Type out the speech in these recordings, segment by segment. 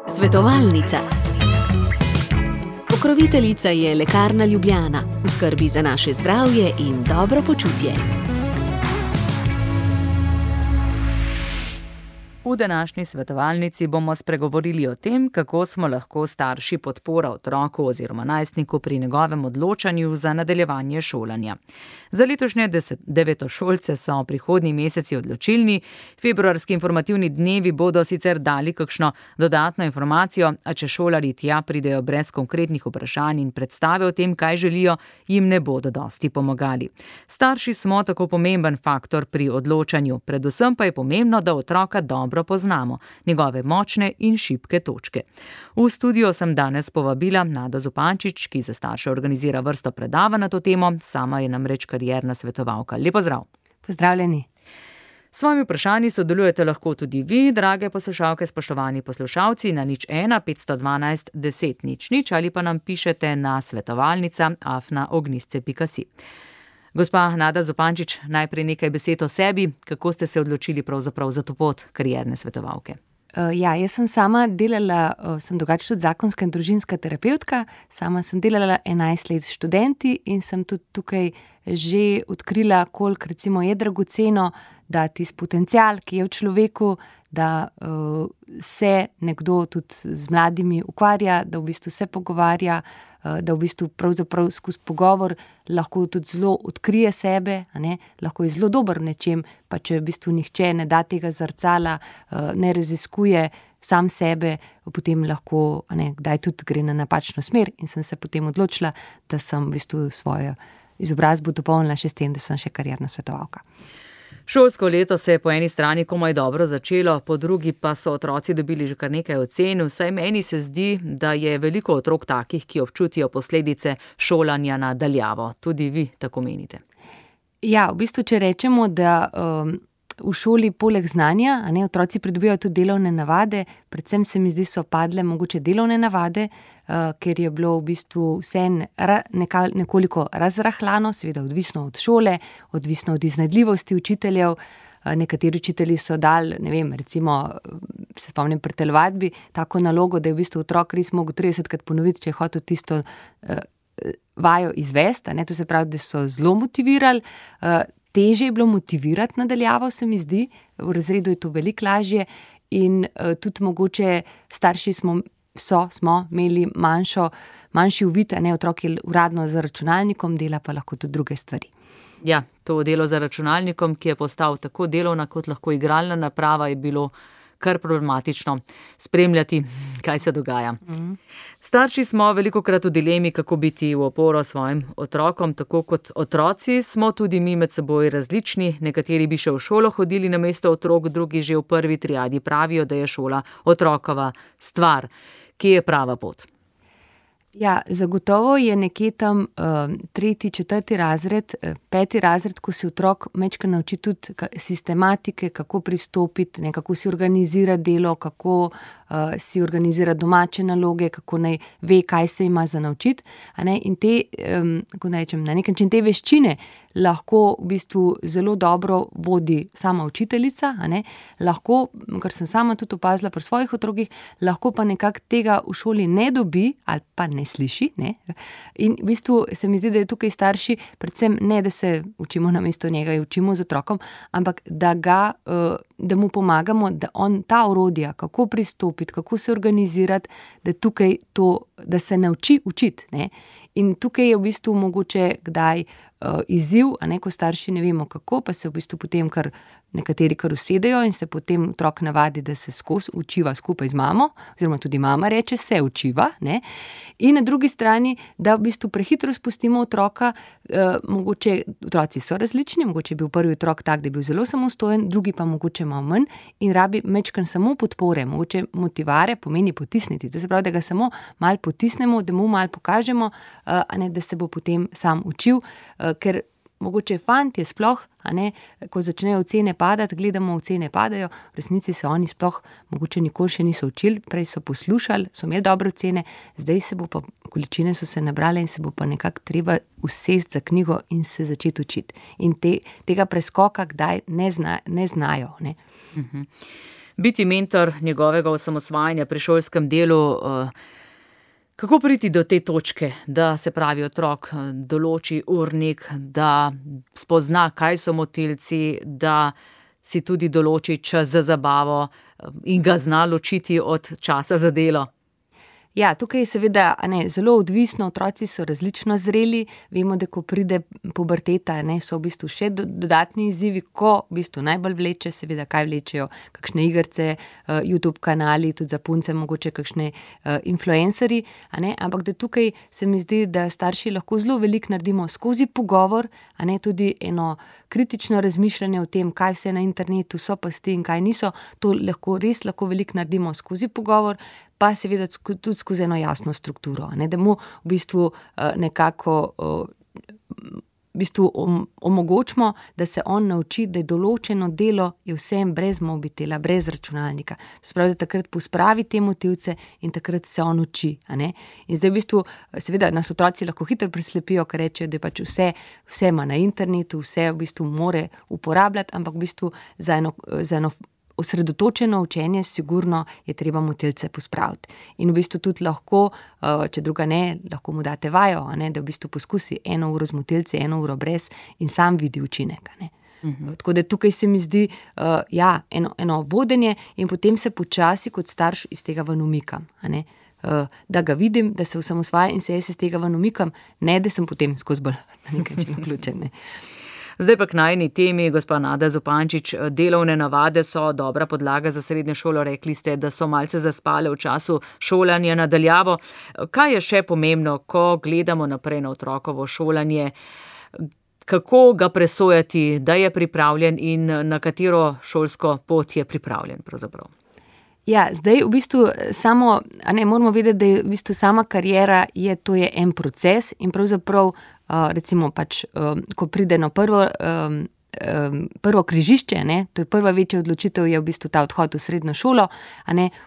Svetovalnica. Pokroviteljica je Lekarna Ljubljana, v skrbi za naše zdravje in dobro počutje. V današnji svetovalnici bomo spregovorili o tem, kako smo lahko starši podpora otroku oziroma najstniku pri njegovem odločanju za nadaljevanje šolanja. Za letošnje devetošolce so prihodnji meseci odločilni. Februarski informativni dnevi bodo sicer dali kakšno dodatno informacijo, a če šolarji tja pridejo brez konkretnih vprašanj in predstave o tem, kaj želijo, jim ne bodo dosti pomagali. Starši smo tako pomemben faktor pri odločanju, predvsem pa je pomembno, da otroka dobro poznamo, njegove močne in šibke točke. V studio sem danes povabila Nado Zupančič, ki za starše organizira vrsto predavanj na to temo, sama je namreč karierna svetovalka. Lep pozdrav. Pozdravljeni. S svojimi vprašanji sodelujete lahko tudi vi, drage poslušalke, spoštovani poslušalci, na 01 512 10 00 ali pa nam pišete na svetovalnica@ognjisce.si. Gospa Nada Zupančič, najprej nekaj besed o sebi. Kako ste se odločili pravzaprav za to pot karierne svetovalke? Jaz sem sama delala, sem drugače tudi zakonska in družinska terapevtka, sama sem delala 11 let s študenti in sem tudi tukaj že odkrila, koliko recimo je dragoceno, da tisti potencial, ki je v človeku, da se nekdo tudi z mladimi ukvarja, da v bistvu se pogovarja, da v bistvu pravzaprav skozi pogovor lahko tudi zelo odkrije sebe, lahko je zelo dober v nečem, pa če v bistvu nihče ne da tega zrcala, ne raziskuje sam sebe, potem lahko kdaj tudi gre na napačno smer in sem se potem odločila, da sem v bistvu svojo izobrazbo dopolnila še s tem, da sem še karierna svetovalka. Šolsko leto se je po eni strani komaj dobro začelo, po drugi pa so otroci dobili že kar nekaj ocen. Vsaj meni se zdi, da je veliko otrok takih, ki občutijo posledice šolanja na daljavo. Tudi vi tako menite? Ja, v bistvu, če rečemo, da v šoli poleg znanja, otroci pridobivajo tudi delovne navade, predvsem se mi zdi, so padle mogoče delovne navade, ker je bilo v bistvu vse nekoliko razrahljano, seveda odvisno od šole, odvisno od iznajdljivosti učiteljev. Nekateri učitelji so dali, recimo, se spomnim pri telovadbi, tako nalogo, da je v bistvu otrok res mogel 30krat ponoviti, če je hotel tisto vajo izvesti, to se pravi, da so zelo motivirali. Težje je bilo motivirati nadaljavo, se mi zdi, v razredu je to veliko lažje in tudi mogoče starši smo imeli manjši uvid, otrok je uradno za računalnikom, dela pa lahko tudi druge stvari. Ja, to delo za računalnikom, ki je postal tako delovna kot lahko igralna naprava, je bilo kar problematično spremljati, kaj se dogaja. Starši smo velikokrat v dilemi, kako biti v oporo svojim otrokom, tako kot otroci smo tudi mi med seboj različni. Nekateri bi še v šolo hodili namesto otrok, drugi že v prvi triadi pravijo, da je šola otrokova stvar. Kje je prava pot? Ja, zagotovo je nekje tam 3., 4. razred, 5. razred, ko se otrok majčkeno nauči tudi sistematike, kako pristopiti, kako si organizira delo, kako si organizira domače naloge, kako naj ve, kaj se ima za naučiti. In te, kako naj rečem, na nek način te veščine lahko v bistvu zelo dobro vodi sama učiteljica, lahko, kar sem sama tudi opazila pri svojih otrokih, lahko pa nekako tega v šoli ne dobi ali pa ne sliši. In v bistvu se mi zdi, da je tukaj starši, predvsem ne, da se učimo namesto njega, učimo z otrokom, ampak da mu pomagamo, da on ta orodja, kako pristopiti, kako se organizirati, da tukaj to, da se nauči učiti. In tukaj je v bistvu mogoče kdaj izziv, ko starši ne vemo kako, pa se v bistvu potem nekateri kar usedejo in se potem otrok navadi, da se skozi učiva skupaj z mamo, oziroma tudi mama reče, se učiva. In na drugi strani, da v bistvu prehitro spustimo otroka, mogoče otroci so različni, mogoče je bil prvi otrok tak, da je bil zelo samostojen, drugi pa mogoče malo manj in rabi majčkeno samo podpore, mogoče motivare pomeni potisniti. To se pravi, da ga samo malo potisnemo, da mu malo pokažemo, da se bo potem sam učil, ker mogoče fantje sploh, ko začnejo ocene padati, gledamo ocene padajo, v resnici se oni sploh mogoče nikoli še niso učili, prej so poslušali, so imeli dobre ocene, zdaj se bo pa, količine so se nabrale in se bo pa nekako treba usesti za knjigo in se začeti učiti. In tega preskoka kdaj ne znajo. Biti mentor njegovega osamosvajanja pri šolskem delu, kako priti do te točke, da se pravi otrok določi urnik, da spozna, kaj so motilci, da si tudi določi čas za zabavo in ga zna ločiti od časa za delo? Ja, tukaj je seveda zelo odvisno, otroci so različno zreli, vemo, da ko pride puberteta, so v bistvu še dodatni izzivi, ko v bistvu najbolj vleče, seveda kaj vlečejo, kakšne igrice, YouTube kanali, tudi za punce mogoče kakšne influencerji, ampak da tukaj se mi zdi, da starši lahko zelo veliko naredimo skozi pogovor, tudi eno kritično razmišljanje o tem, kaj vse na internetu so pasti in kaj niso, to res lahko veliko naredimo skozi pogovor, pa seveda tudi skozi eno jasno strukturo, da mu v bistvu nekako omogočimo, da se on nauči, da je določeno delo je vsem brez mobitela, brez računalnika. To se pravi, da takrat pospravi te motivce in takrat se on uči. In zdaj v bistvu, seveda nas otroci lahko hitro preslepijo, ker rečejo, da je pač vse ima na internetu, vse v bistvu more uporabljati, ampak v bistvu za eno osredotočeno učenje sigurno je treba motilce pospraviti. In v bistvu tudi lahko, če druga ne, lahko mu date vajo, da v bistvu poskusi 1 uro z motilci, 1 uro brez in sam vidi učinek. Tako da tukaj se mi zdi eno vodenje in potem se počasi kot starš iz tega ven umikam. Da ga vidim, da se osamosvaja in se jaz iz tega ven umikam, ne da sem potem skozi bolj na nekaj način vključen. Zdaj pa k najini temi, gospa Nada Zupančič, delovne navade so dobra podlaga za srednjo šolo. Rekli ste, da so malce zaspale v času šolanja na daljavo. Kaj je še pomembno, ko gledamo naprej na otrokovo šolanje? Kako ga presojati, da je pripravljen in na katero šolsko pot je pripravljen pravzaprav? Ja, zdaj v bistvu moramo vedeti, da je v bistvu sama kariera to je en proces in pravzaprav recimo pač, ko pride na prvo križišče, to je prva večja odločitev, je v bistvu ta odhod v srednjo šolo,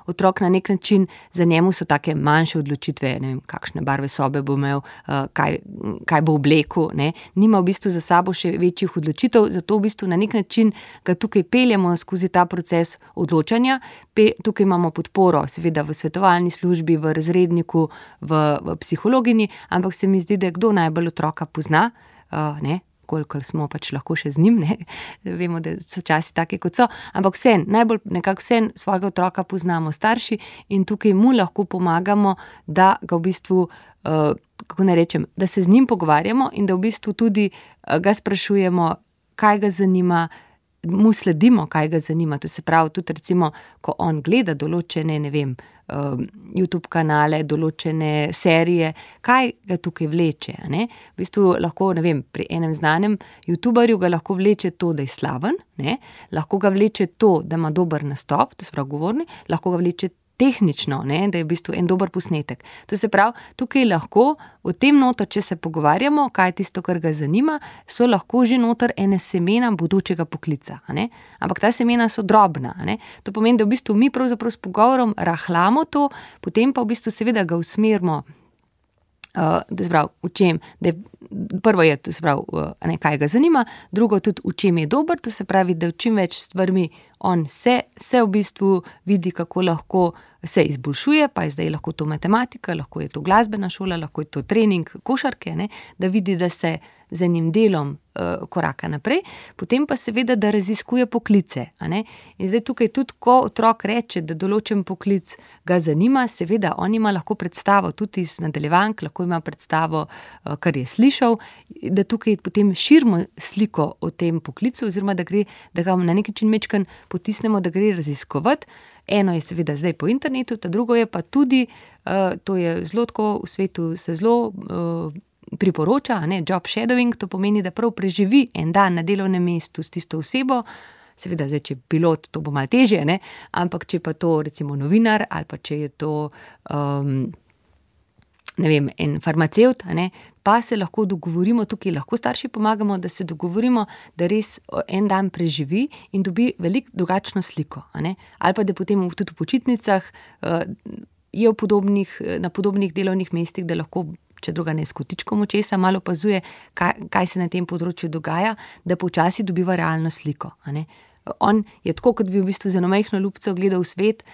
otrok na nek način, za njemu so take manjše odločitve, ne vem, kakšne barve sobe bo imel, kaj bo oblekel, nima v bistvu za sabo še večjih odločitev, zato v bistvu na nek način ga tukaj peljemo skozi ta proces odločanja. Tukaj imamo podporo, seveda v svetovalni službi, v razredniku, v psihologini, ampak se mi zdi, da kdo najbolj otroka pozna, koliko smo pač lahko še z njim, vemo, da so časi take, kot so, ampak najbolj nekako svojega otroka poznamo starši in tukaj mu lahko pomagamo, da ga v bistvu, kako ne rečem, da se z njim pogovarjamo in da v bistvu tudi ga sprašujemo, kaj ga zanima, mu sledimo, kaj ga zanima. To se pravi, tudi recimo, ko on gleda določene, YouTube kanale, določene serije, kaj ga tukaj vleče, V bistvu lahko, pri enem znanem youtuberju ga lahko vleče to, da je slaven, lahko ga vleče to, da ima dober nastop, to se pravi govorni, lahko ga vleče tehnično, da je v bistvu en dober posnetek. To se pravi, tukaj lahko v tem noter, če se pogovarjamo, kaj je tisto, kar ga zanima, so lahko že noter ene semena bodočega poklica, ampak ta semena so drobna, To pomeni, da v bistvu mi pravzaprav s pogovorom rahljamo to, potem pa v bistvu seveda ga usmerimo, to se pravi, v čem, prvo je, to se pravi, kaj ga zanima, drugo tudi, v čem je dober, to se pravi, da v čim več stvarmi on se v bistvu vidi, kako lahko se izboljšuje, pa je zdaj lahko to matematika, lahko je to glasbena šola, lahko je to trening košarke, da vidi, da se z enim delom koraka naprej, potem pa seveda, da raziskuje poklice. In zdaj tukaj tudi, ko otrok reče, da določen poklic ga zanima, seveda on ima lahko predstavo tudi iz nadaljevank, lahko ima predstavo, kar je slišal, da tukaj potem širimo sliko o tem poklicu, oziroma da ga na nek način mečkan potisnemo, da gre raziskovati. Eno je seveda zdaj po internetu, ta drugo je pa tudi, to je zelo tako, v svetu se zelo priporoča, job shadowing, to pomeni, da prav preživi en dan na delovnem mestu s tisto osebo, seveda zdaj, če je pilot, to bo malo težje, ampak če pa to recimo novinar ali pa če je to en farmacevt, pa se lahko dogovorimo, tukaj lahko starši pomagamo, da se dogovorimo, da res en dan preživi in dobi veliko drugačno sliko, ali pa da potem tudi v počitnicah je na podobnih delovnih mestih, da lahko, če druga ne s kotičkom očesa, malo opazuje, kaj se na tem področju dogaja, da počasi dobiva realno sliko, on je tako, kot bi v bistvu z eno majhno lupco gledal svet,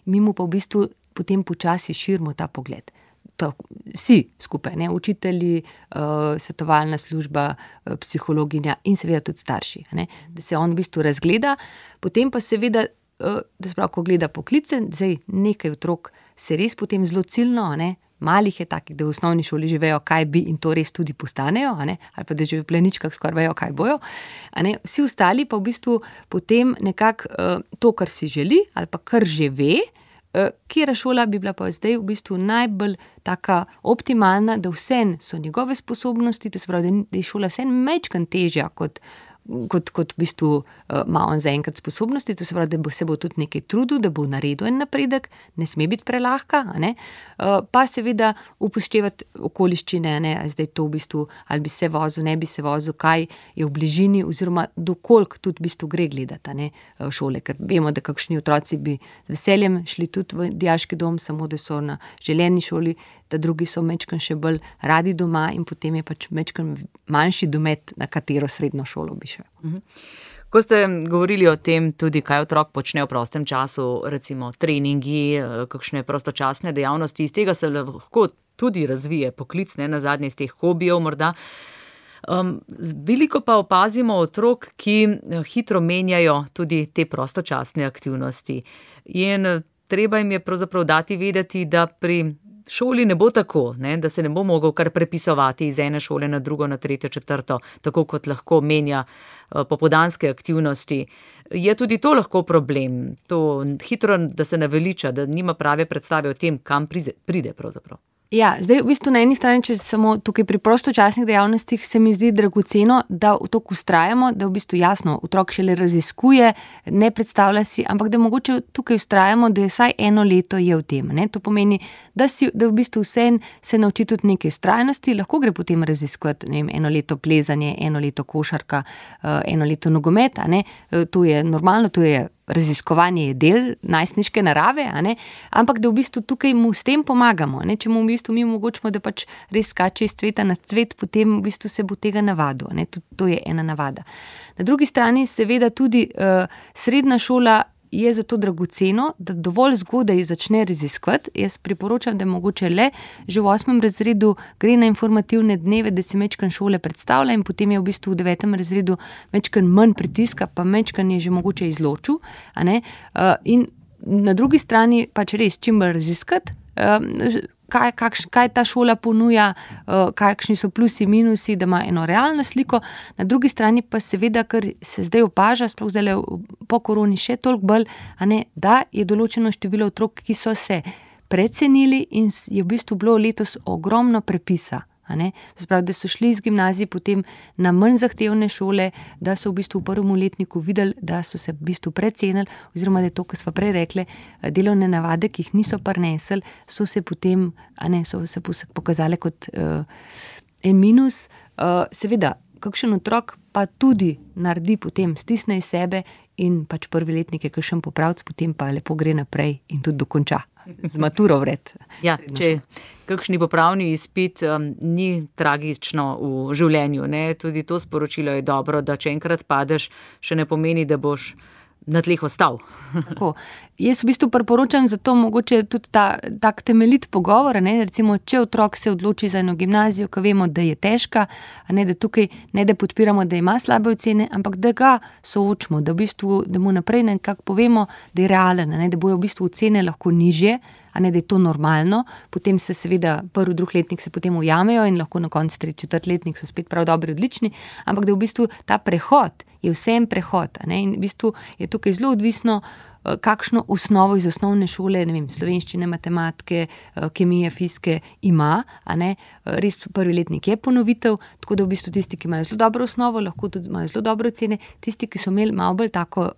mi mu pa v bistvu potem počasi širimo ta pogled. To, vsi skupaj, učitelji, svetovalna služba, psihologinja in seveda tudi starši, da se on v bistvu razgleda, potem pa seveda, da sprav, ko gleda poklice, zdaj nekaj otrok se res potem zelo ciljno, malih je takih, da v osnovni šoli že vejo, kaj bi in to res tudi postanejo, ali pa da že v pleničkah skoraj vejo, kaj bojo. Vsi ostali pa v bistvu potem nekako to, kar si želi ali pa kar že ve, katera šola bi bila pa zdaj v bistvu najbolj taka optimalna, da vsem so njegove sposobnosti, to se pravi, da je šola vsem majčkeno težja kot v bistvu ima on zaenkrat sposobnosti, to se pravi, da se bo tudi nekaj trudil, da bo naredil en napredek, ne sme biti prelahka, pa seveda upoštevati okoliščine, zdaj to v bistvu, ali bi se vozil, ne bi se vozil, kaj je v bližini oziroma dokoliko tudi v bistvu gre gledati šole, ker vemo, da kakšni otroci bi z veseljem šli tudi v dijaški dom, samo da so na želeni šoli, da drugi so majčkeno še bolj radi doma in potem je pač majčkeno manjši domet, na katero srednjo šolo bi šel. Ko ste govorili o tem tudi, kaj otrok počne v prostem času, recimo treningi, kakšne prostočasne dejavnosti, iz tega se lahko tudi razvije poklic, nazadnje iz teh hobijev morda. Veliko pa opazimo otrok, ki hitro menjajo tudi te prostočasne aktivnosti. In treba jim je pravzaprav dati vedeti, da pri šoli ne bo tako, da se ne bo mogel kar prepisovati iz ene šole na drugo, na tretjo, četrto, tako kot lahko menja popoldanske aktivnosti. Je tudi to lahko problem, to hitro, da se naveliča, da nima prave predstave o tem, kam pride pravzaprav. Ja, zdaj v bistvu na eni strani, če samo tukaj pri prostočasnih dejavnostih, se mi zdi dragoceno, da v to vztrajamo, da v bistvu jasno, otrok šele raziskuje, ne predstavlja si, ampak da mogoče tukaj vztrajamo, da je vsaj eno leto je v tem. To pomeni, da v bistvu vse se nauči tudi neke vztrajnosti, lahko gre potem raziskovati, eno leto plezanje, eno leto košarka, eno leto nogomet, to je normalno, to je raziskovanje je del najstniške narave, ampak da v bistvu tukaj mu s tem pomagamo, če mu v bistvu mi omogočimo, da pač res skače iz cveta na cvet, potem v bistvu se bo tega navadil, to je ena navada. Na drugi strani seveda tudi srednja šola je zato dragoceno, da dovolj zgodaj začne raziskovati. Jaz priporočam, da mogoče le že v 8. razredu gre na informativne dneve, da si majčkeno šole predstavlja in potem je v bistvu v 9. razredu majčkeno manj pritiska, pa majčkeno je že mogoče izločil. In na drugi strani pač res čim bolj raziskati, kaj ta šola ponuja, kakšni so plusi, minusi, da ima eno realno sliko. Na drugi strani pa seveda, ker se zdaj opaža, sploh zdaj po koroni še toliko bolj, da je določeno število otrok, ki so se precenili in je v bistvu bilo letos ogromno prepisa. To se pravi, da so šli iz gimnazije potem na manj zahtevne šole, da so v bistvu v prvem letniku videli, da so se v bistvu precenili, oziroma da je to, kar smo prej rekli, delovne navade, ki jih niso prinesli, so se potem, so se pokazali kot en minus. Seveda, kakšen otrok pa tudi naredi potem, stisne iz sebe in pač prvi letnik je kakšen popravc, potem pa lepo gre naprej in tudi dokonča. Z maturo vred. Ja, če kakšni popravni izpit ni tragično v življenju, tudi to sporočilo je dobro, da če enkrat padeš, še ne pomeni, da boš na tleh ostal. Tako. Jaz v bistvu priporočam zato mogoče tudi tak temeljit pogovor, recimo, če otrok se odloči za eno gimnazijo, ko vemo, da je težka, da tukaj ne da podpiramo, da ima slabe ocene, ampak da ga soočimo, da v bistvu, da mu naprej nekako povemo, da je realen, da bojo v bistvu ocene lahko nižje, da je to normalno, potem se seveda prvi, drugi letnik se potem ujamejo in lahko na koncu tretji, četrti letnik so spet prav dobri, odlični, ampak da v bistvu ta prehod je vsem prehod, in v bistvu je tukaj zelo odvisno, kakšno osnovo iz osnovne šole, slovenščine, matematike, kemije, fizike ima, res prvi letnik je ponovitev, tako da v bistvu tisti, ki imajo zelo dobro osnovo, lahko tudi imajo zelo dobre ocene, tisti, ki so imeli malo bolj tako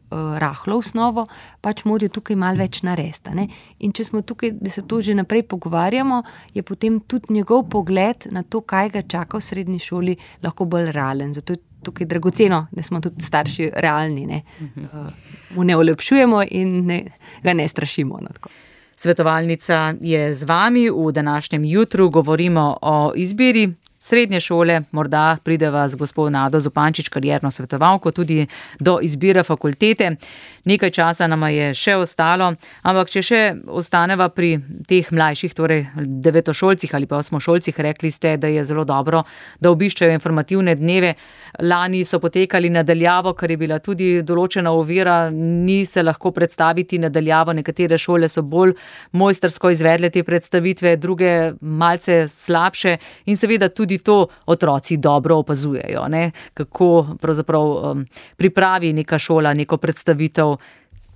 rahlo osnovo, pač morajo tukaj malo več narediti. In če smo tukaj, da se to že naprej pogovarjamo, je potem tudi njegov pogled na to, kaj ga čaka v srednji šoli, lahko bolj realen. Zato je tukaj dragoceno, da smo tudi starši realni, mu ne olepšujemo in ga ne strašimo. Svetovalnica je z vami v današnjem jutru, govorimo o izbiri srednje šole, morda prideva z gospod Nado Zupančič, karierno svetovalko, tudi do izbire fakultete. Nekaj časa nama je še ostalo, ampak če še ostaneva pri teh mlajših, torej devetošolcih ali pa osmošolcih, rekli ste, da je zelo dobro, da obiščajo informativne dneve. Lani so potekali nadaljavo, kar je bila tudi določena ovira, ni se lahko predstaviti nadaljavo, nekatere šole so bolj mojstrsko izvedle te predstavitve, druge malce slabše in seveda tudi to otroci dobro opazujejo, ne? Kako pravzaprav pripravi neka šola neko predstavitev,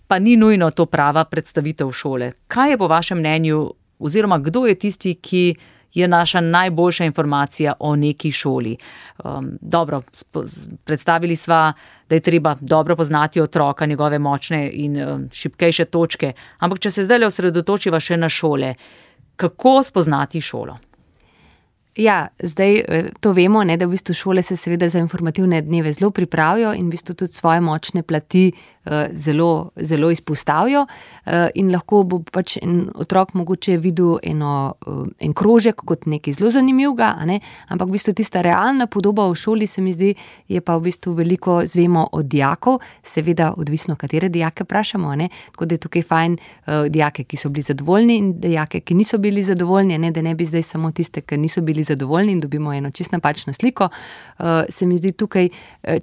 pa ni nujno to prava predstavitev šole. Kaj je po vašem mnenju, oziroma kdo je tisti, ki je naša najboljša informacija o neki šoli? Dobro, predstavili sva, da je treba dobro poznati otroka, njegove močne in šibkejše točke, ampak če se zdaj osredotočiva še na šole, kako spoznati šolo? Ja, zdaj to vemo, ne, da v bistvu šole se seveda za informativne dneve zelo pripravijo in v bistvu tudi svoje močne plati zelo, zelo izpostavijo in lahko bo pač en otrok mogoče videl en krožek kot nekaj zelo zanimivega, a ne, ampak v bistvu tista realna podoba v šoli se mi zdi, je pa v bistvu veliko zvemo od dijakov, seveda odvisno, katere dijake vprašamo, a ne, tako da je tukaj fajn dijake, ki so bili zadovoljni in dijake, ki niso bili zadovoljni, ne, da ne bi zdaj samo tiste, ki niso bili zadovoljni in dobimo eno čisto napačno sliko. Se mi zdi tukaj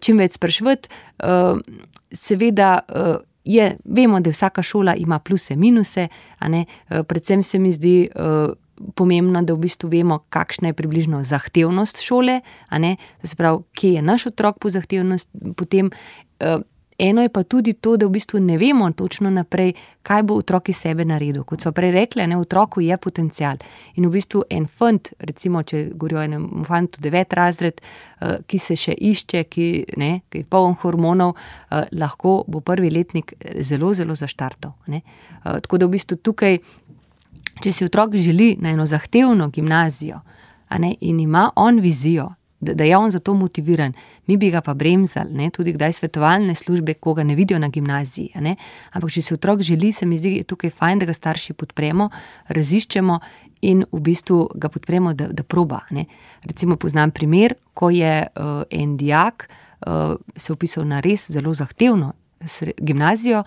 čim več spraševati. Seveda vemo, da vsaka šola ima pluse, minuse, a ne, predvsem se mi zdi pomembno, da v bistvu vemo, kakšna je približno zahtevnost šole, a ne, to se pravi, kje je naš otrok po zahtevnost, potem eno je pa tudi to, da v bistvu ne vemo točno naprej, kaj bo otrok iz sebe naredil. Kot smo prej rekli, ne, v otroku je potencial. In v bistvu en fant, recimo, če govorijo o enem fantu 9. razred, ki se še išče, ki je poln hormonov, lahko bo prvi letnik zelo, zelo zaštartal. Ne. Tako da v bistvu tukaj, če si otrok želi na eno zahtevno gimnazijo, a ne, in ima on vizijo, da je on za to motiviran, mi bi ga pa bremzali, ne, tudi kdaj svetovalne službe, koga ne vidijo na gimnaziji, ne, ampak če se otrok želi, se mi zdi tukaj fajn, da ga starši podpremo, raziščemo in v bistvu ga podpremo, da proba, ne. Recimo poznam primer, ko je en dijak se vpisal na res zelo zahtevno gimnazijo,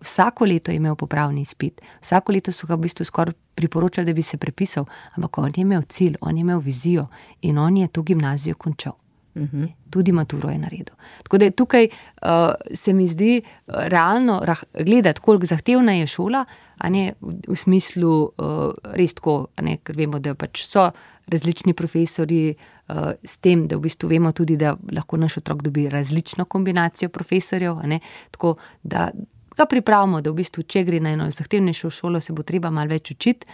vsako leto je imel popravni izpit, vsako leto so ga v bistvu skoraj priporočali, da bi se prepisal, ampak on je imel cilj, on je imel vizijo in on je to gimnazijo končal. Tudi maturo je naredil. Tako da tukaj se mi zdi realno gledati, koliko zahtevna je šola, a ne v smislu res tako, a ne, ker vemo, da pač so različni profesorji, s tem, da v bistvu vemo tudi, da lahko naš otrok dobi različno kombinacijo profesorjev, a ne, tako da ga pripravimo, da v bistvu, če gre na eno zahtevnejšo šolo, se bo treba malo več učiti.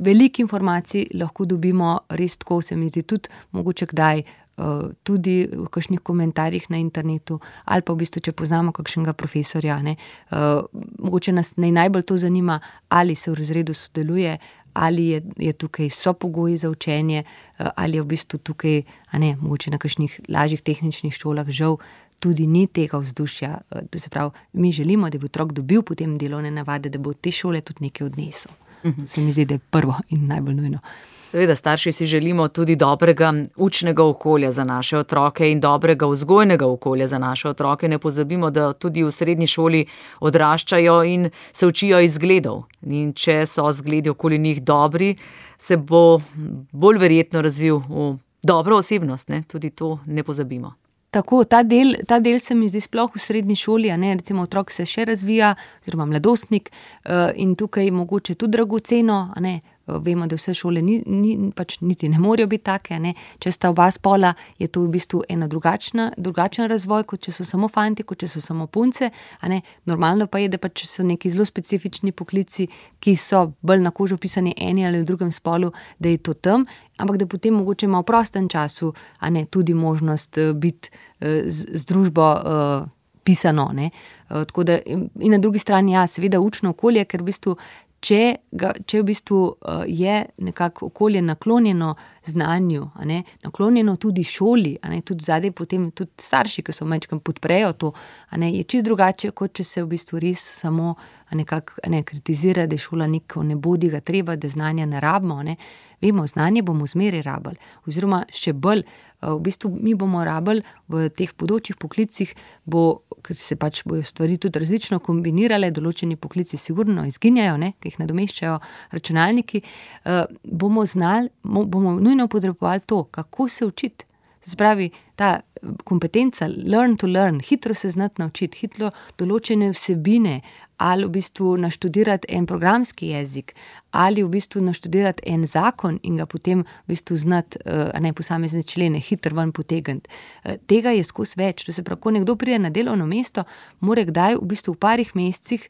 Veliko informacij lahko dobimo res tako, se mi zdi tudi mogoče kdaj tudi v kakšnih komentarjih na internetu ali pa v bistvu, če poznamo kakšnega profesorja, ne, mogoče nas najbolj to zanima, ali se v razredu sodeluje, ali je tukaj so pogoji za učenje, ali je v bistvu tukaj, a ne, mogoče na kakšnih lažjih tehničnih šolah žal tudi ni tega vzdušja. To se pravi, mi želimo, da bi otrok dobil potem delovne navade, da bo od te šole tudi nekaj odnesel. Se mi zdi, da je prvo in najbolj nujno. Seveda, starši si želimo tudi dobrega učnega okolja za naše otroke in dobrega vzgojnega okolja za naše otroke. Ne pozabimo, da tudi v srednji šoli odraščajo in se učijo iz zgledov. In če so zgledi okoli njih dobri, se bo bolj verjetno razvil v dobro osebnost, ne? Tudi to ne pozabimo. Tako, ta del se mi zdi sploh v srednji šoli, a ne, recimo otrok se še razvija, oziroma mladostnik, in tukaj mogoče tudi dragoceno, a ne, vemo, da vse šole pač niti ne morejo biti take, ne, če sta oba spola, je to v bistvu ena drugačen razvoj, kot če so samo fanti, kot če so samo punce, a ne, normalno pa je, da pač so neki zelo specifični poklici, ki so bolj na kožo pisani eni ali v drugem spolu, da je to tam, ampak da potem mogoče ima v prostem času, a ne, tudi možnost biti z družbo pisano, ne, tako da in na drugi strani, ja, seveda učno okolje, ker v bistvu če v bistvu je nekako okolje naklonjeno znanju, a ne, naklonjeno tudi šoli, a ne, tudi zadaj potem tudi starši, ki so majčkeno podprejo to, a ne, je čisto drugače, kot če se v bistvu res samo nekako kritizira, da je šola neko ne bodi ga treba, da znanja ne rabimo, a ne. Vemo, znanje bomo zmeraj rabili, oziroma še bolj, v bistvu mi bomo rabili v teh bodočih poklicih, ker se pač bojo stvari tudi različno kombinirale, določeni poklici sigurno izginjajo, ne, ki jih nadomeščajo računalniki, bomo nujno potrebovali to, kako se učiti. Se pravi, ta kompetenca learn to learn, hitro se znati naučiti, hitro določene vsebine, ali v bistvu naštudirati en programski jezik, ali v bistvu naštudirati en zakon in ga potem v bistvu znati, posamezne člene hitro ven potegniti. Tega je skozi več. To se pravi, ko nekdo pride na delovno mesto, mora kdaj v bistvu v parih mesecih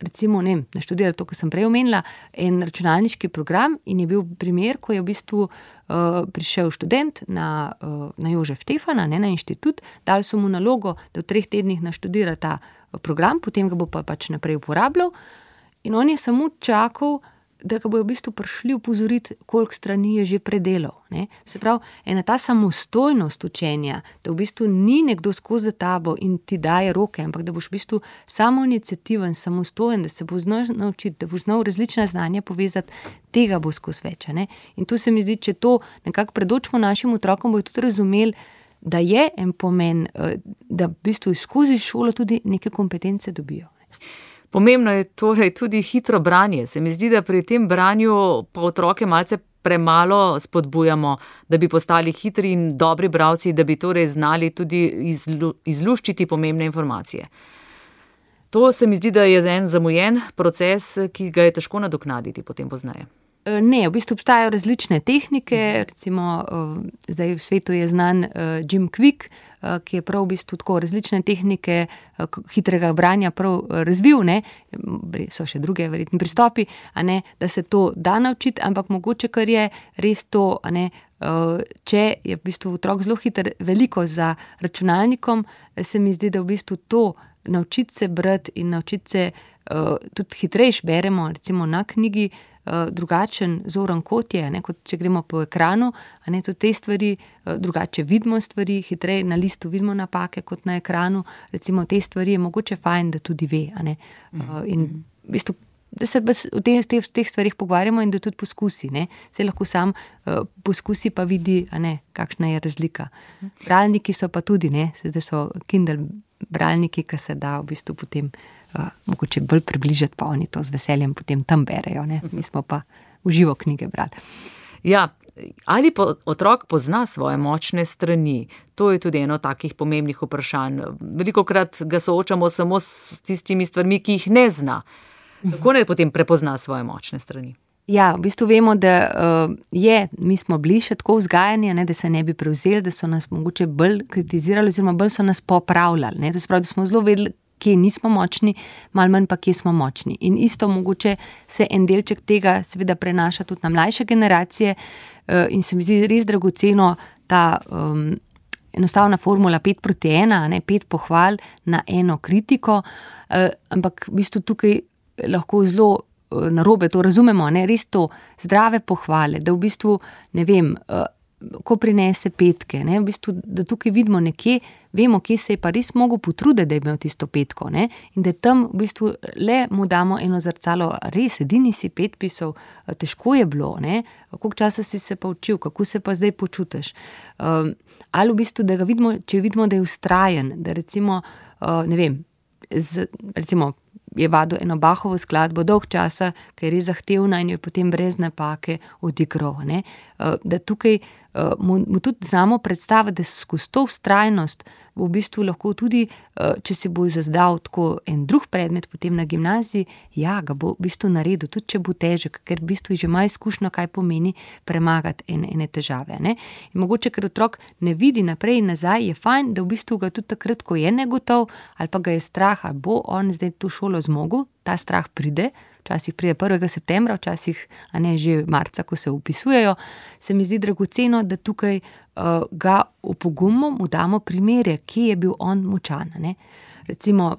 recimo, naštudirati to, kar sem prej omenila, en računalniški program in je bil primer, ko je v bistvu prišel študent na Jožef Štefana, na inštitut, dali so mu nalogo, da v 3 tednih naštudira ta program, potem ga bo pa pač naprej uporabljal in on je samo čakal, da ga bojo v bistvu prišli upozoriti, koliko strani je že predelal. Ne? Se pravi, ena ta samostojnost učenja, da v bistvu ni nekdo skozi tabo in ti daje roke, ampak da boš v bistvu samoiniciativen, samostojen, da se bo znal naučiti, da boš znal različna znanja povezati, tega bo skozi več. Ne? In tu se mi zdi, če to nekako predočimo našim otrokom, bojo tudi razumeli, da je en pomen, da v bistvu skozi šolo tudi neke kompetence dobijo. Pomembno je torej tudi hitro branje. Se mi zdi, da pri tem branju pa otroke malce premalo spodbujamo, da bi postali hitri in dobri bralci, da bi torej znali tudi izluščiti pomembne informacije. To se mi zdi, da je en zamujen proces, ki ga je težko nadoknaditi potem pozneje. Ne, v bistvu obstajajo različne tehnike, recimo zdaj v svetu je znan Jim Kwik, ki je prav v bistvu tako različne tehnike hitrega branja prav razvil, ne, so še druge verjetni pristopi, da se to da naučiti, ampak mogoče, kar je res to, če je v bistvu otrok zelo hiter, veliko za računalnikom, se mi zdi, da v bistvu to naučiti se brati in naučiti se tudi hitrejš beremo, recimo na knjigi, drugačen zoren kot je, kot če gremo po ekranu, tudi te stvari, drugače vidimo stvari, hitreje na listu vidimo napake kot na ekranu, recimo te stvari je mogoče fajn, da tudi ve, in v bistvu, da se o teh stvarih pogovarjamo in da tudi poskusi, se lahko sam poskusi pa vidi, kakšna je razlika. Bralniki so pa tudi, zdaj so Kindle bralniki, ki se da v bistvu potem mogoče bolj približati, pa oni to z veseljem potem tam berejo, mi smo pa v živo knjige brali. Ja, ali otrok pozna svoje močne strani? To je tudi eno takih pomembnih vprašanj. Velikokrat ga soočamo samo s tistimi stvarmi, ki jih ne zna. Kako naj potem prepozna svoje močne strani? Ja, v bistvu vemo, da mi smo bili še tako vzgajani, da se ne bi prevzeli, da so nas mogoče bolj kritizirali oziroma bolj so nas popravljali. To se pravi, da smo zelo vedeli, kje nismo močni, malo manj pa kje smo močni. In isto mogoče se en delček tega seveda prenaša tudi na mlajše generacije in se mi zdi res dragoceno ta enostavna formula 5:1, 5 pohval na eno kritiko, ampak v bistvu tukaj lahko zelo narobe to razumemo, res to zdrave pohvale, da v bistvu, ko prinese 5, v bistvu, da tukaj vidimo nekje, vemo, kje se je pa res mogel potruditi, da je imel tisto 5, in da tam v bistvu le mu damo eno zrcalo, res, edini si 5 pisal, težko je bilo, koliko časa si se pa učil, kako se pa zdaj počutiš. Ali v bistvu, da ga vidimo, če vidimo, da je vztrajen, da recimo, recimo, je vadil eno Bachovo skladbo dolg časa, ki je res zahtevna in jo je potem brez napake odigral. Da tukaj mu tudi znamo predstaviti, da skozi to vztrajnost v bistvu lahko tudi, če se bo zazdal tako en drug predmet potem na gimnaziji, ga bo v bistvu naredil, tudi če bo težek, ker v bistvu že ima izkušnjo, kaj pomeni premagati ene težave. In mogoče, ker otrok ne vidi naprej in nazaj, je fajn, da v bistvu ga tudi takrat, ko je negotov, ali pa ga je strah, ali bo on zdaj to šolo zmogel, ta strah pride, včasih pride 1. septembra, včasih že marca, ko se upisujejo, se mi zdi dragoceno, da tukaj ga opogumimo, mu damo primere, kje je bil on močan. Recimo,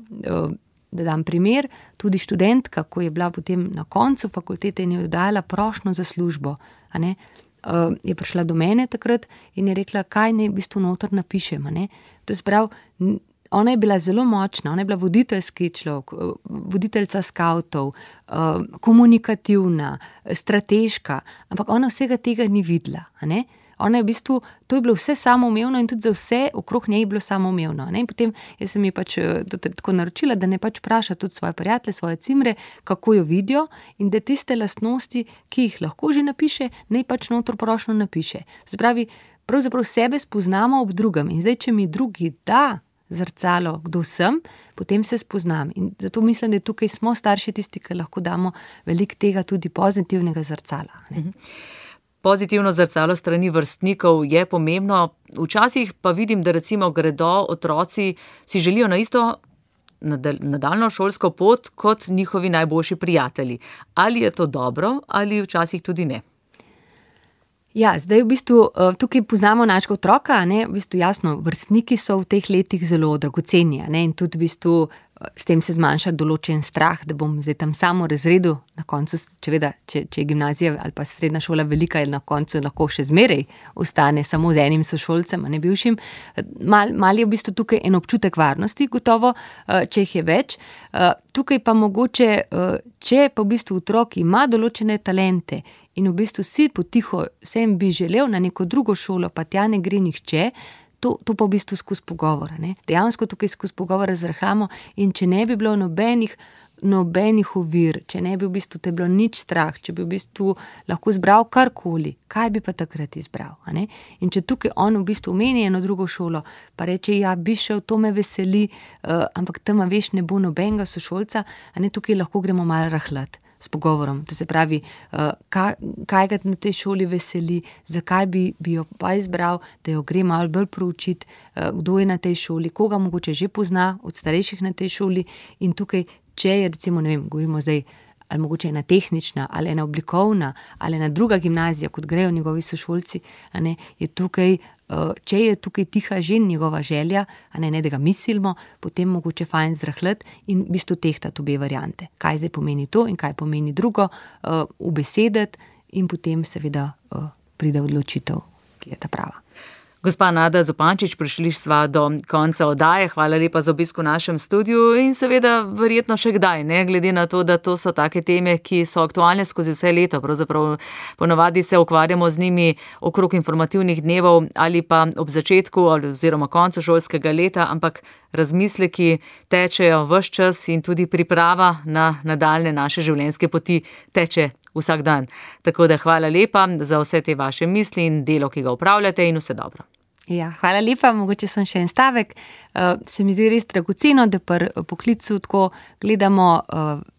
da dam primer, tudi študentka, ko je bila potem na koncu fakultete in je dala prošnjo za službo, je prišla do mene takrat in je rekla, kaj naj v bistvu noter napišem. To se pravi, ona je bila zelo močna, ona je bila voditeljski človek, voditeljca skavtov, komunikativna, strateška, ampak ona vsega tega ni videla, a ne? Ona je v bistvu, to je bilo vse samoumevno in tudi za vse okrog njej je bilo samoumevno. In potem jaz sem ji pač tako naročila, da ne pač vpraša tudi svoje prijatelje, svoje cimre, kako jo vidijo in da tiste lastnosti, ki jih lahko že napiše, ne pač notro prošno napiše. Spravi, pravzaprav sebe spoznamo ob drugem in zdaj, če mi drugi da zrcalo, kdo sem, potem se spoznam. In zato mislim, da tukaj smo starši tisti, ki lahko damo veliko tega tudi pozitivnega zrcala. Ne? Pozitivno zrcalo strani vrstnikov je pomembno. Včasih pa vidim, da recimo gredo otroci, si želijo na isto nadaljno šolsko pot kot njihovi najboljši prijatelji. Ali je to dobro ali včasih tudi ne? Ja, zdaj v bistvu tukaj poznamo našega otroka, ne, v bistvu jasno, vrstniki so v teh letih zelo dragoceni, ne, in tudi v bistvu s tem se zmanjša določen strah, da bom zdaj tam samo razredu, na koncu, če je gimnazija ali pa srednja šola velika, na koncu lahko še zmeraj ostane samo z enim sošolcem, a ne bivšim. Mal je v bistvu tukaj en občutek varnosti, gotovo, če jih je več. Tukaj pa mogoče, če pa v bistvu otrok ima določene talente in v bistvu si potiho vsem bi želel na neko drugo šolo, pa tja ne gre nihče, to pa v bistvu skozi pogovor. Ne? Dejansko tukaj skozi pogovor razrahamo in če ne bi bilo nobenih ovir, če ne bi v bistvu te bilo nič strah, če bi v bistvu lahko izbral karkoli, kaj bi pa takrat izbral? A ne? In če tukaj on v bistvu omeni eno drugo šolo, pa reče, ja, bi šel, to me veseli, ampak tam, veš, ne bo nobenega sošolca, a ne, tukaj lahko gremo malo rahlat s pogovorom. To se pravi, kaj ga na tej šoli veseli, zakaj bi jo pa izbral, da jo gre malo bolj proučiti, kdo je na tej šoli, koga mogoče že pozna od starejših na tej šoli in tukaj, če je recimo, ne vem, govorimo zdaj, ali mogoče ena tehnična, ali ena oblikovna, ali ena druga gimnazija, kot grejo njegovi sošolci, a ne, je tukaj, če je tukaj tiha že njegova želja, a ne, da ga mislimo, potem mogoče fajn zrahljati in v bistvu tehtati obe variante. Kaj zdaj pomeni to in kaj pomeni drugo, ubesediti in potem seveda pride odločitev, ki je ta prava. Gospa Nada Zupančič, prišli sva do konca oddaje. Hvala lepa za obisk v našem studiu in seveda verjetno še kdaj, ne, glede na to, da to so take teme, ki so aktualne skozi vse leto. Pravzaprav ponavadi se ukvarjamo z njimi okrog informativnih dnevov ali pa ob začetku oziroma koncu šolskega leta, ampak razmisleki tečejo ves čas in tudi priprava na nadaljne naše življenjske poti teče vsak dan. Tako da hvala lepa za vse te vaše misli in delo, ki ga upravljate in vse dobro. Ja, hvala lepa, mogoče sem še en stavek. Se mi zdi res dragoceno, da pri poklicu tako gledamo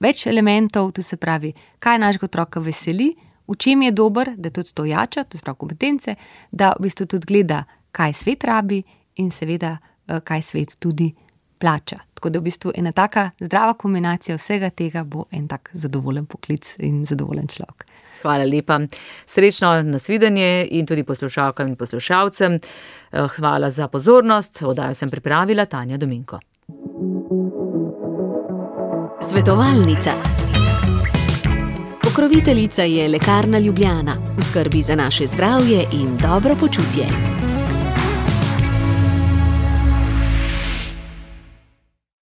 več elementov, to se pravi, kaj našega otroka veseli, v čem je dober, da tudi to jača, to se pravi kompetence, da v bistvu tudi gleda, kaj svet rabi in seveda, kaj svet tudi plača. Tako da v bistvu ena taka zdrava kombinacija vsega tega bo en tak zadovoljen poklic in zadovoljen človek. Hvala lepa. Srečno nasvidenje in tudi poslušalkam in poslušalcem. Hvala za pozornost. Oddajo sem pripravila Tanja Dominko. Svetovalnica. Pokroviteljica je Lekarna Ljubljana. V skrbi za naše zdravje in dobro počutje.